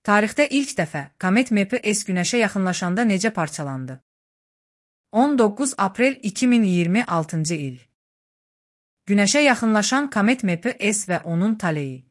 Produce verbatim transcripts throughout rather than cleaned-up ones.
Tarixdə ilk dəfə komet M P S Günəşə yaxınlaşanda necə parçalandı? on doqquz aprel iki min iyirmi altıncı il. Günəşə yaxınlaşan komet M P S və onun taleyi.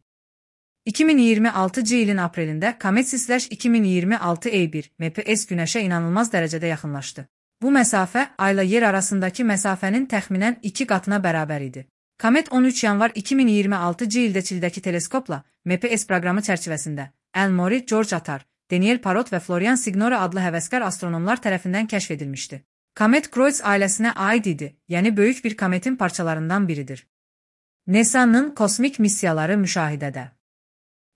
iki min iyirmi altıncı ilin aprelində komet Slash iki min iyirmi altı E bir M P S Günəşə inanılmaz dərəcədə yaxınlaşdı. Bu məsafə Ayla Yer arasındakı məsafənin təxminən iki qatına bərabər idi. Komet on üç yanvar iki min iyirmi altıncı ildə Çildəki teleskopla M P S proqramı çərçivəsində Elmore, George Attar, Daniel Parrot və Florian Signora adlı həvəskar astronomlar tərəfindən kəşf edilmişdi. Komet Kreutz ailəsinə aid idi, yəni böyük bir kometin parçalarından biridir. NASA'nın kosmik missiyaları müşahidədə.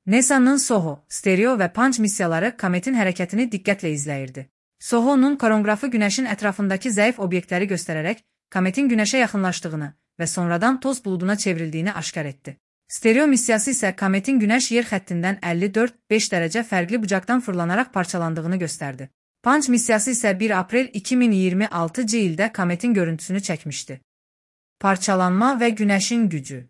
NASA'nın SOHO, stereo və punch missiyaları kometin hərəkətini diqqətlə izləyirdi. SOHO-nun koronqrafı Günəşin ətrafındakı zəif obyektləri göstərərək kometin Günəşə yaxınlaşdığını və sonradan toz buluduna çevrildiyini aşkar etdi. Stereo missiyası isə kometin Günəş yer xəttindən əlli dörd beş dərəcə fərqli bucaqdan fırlanaraq parçalandığını göstərdi. Punch missiyası isə bir aprel iki min iyirmi altıncı ildə kometin görüntüsünü çəkmişdi. Parçalanma və Günəşin gücü.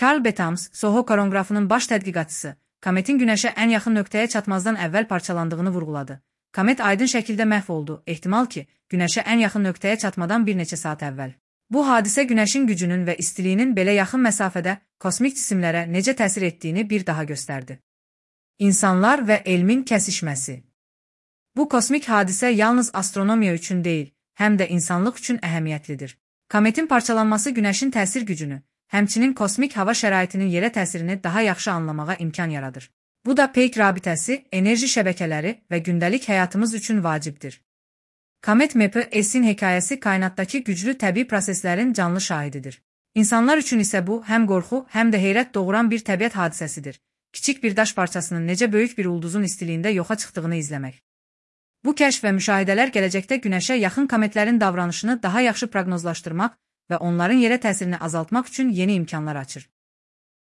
Carl Betams, SOHO koronqrafının baş tədqiqatçısı, kometin Günəşə ən yaxın nöqtəyə çatmazdan əvvəl parçalandığını vurğuladı. Komet aydın şəkildə məhv oldu, ehtimal ki, Günəşə ən yaxın nöqtəyə çatmadan bir neçə saat əvvəl. Bu hadisə Günəşin gücünün və istiliyinin belə yaxın məsafədə kosmik cisimlərə necə təsir etdiyini bir daha göstərdi. İnsanlar və elmin kəsişməsi. Bu kosmik hadisə yalnız astronomiya üçün deyil, həm də insanlıq üçün əhəmiyyətlidir. Kometin parçalanması Günəşin təsir gücünü, həmçinin kosmik hava şəraitinin yerə təsirini daha yaxşı anlamağa imkan yaradır. Bu da peyk rabitəsi, enerji şəbəkələri və gündəlik həyatımız üçün vacibdir. Komet M P S'in hekayəsi kainatdakı güclü təbii proseslərin canlı şahididir. İnsanlar üçün isə bu həm qorxu, həm də heyrət doğuran bir təbiət hadisəsidir. Kiçik bir daş parçasının necə böyük bir ulduzun istiliyində yoxa çıxdığını izləmək. Bu kəşf və müşahidələr gələcəkdə Günəşə yaxın kometlərin davranışını daha yaxşı proqnozlaşdırmaq və onların yerə təsirini azaltmaq üçün yeni imkanlar açır.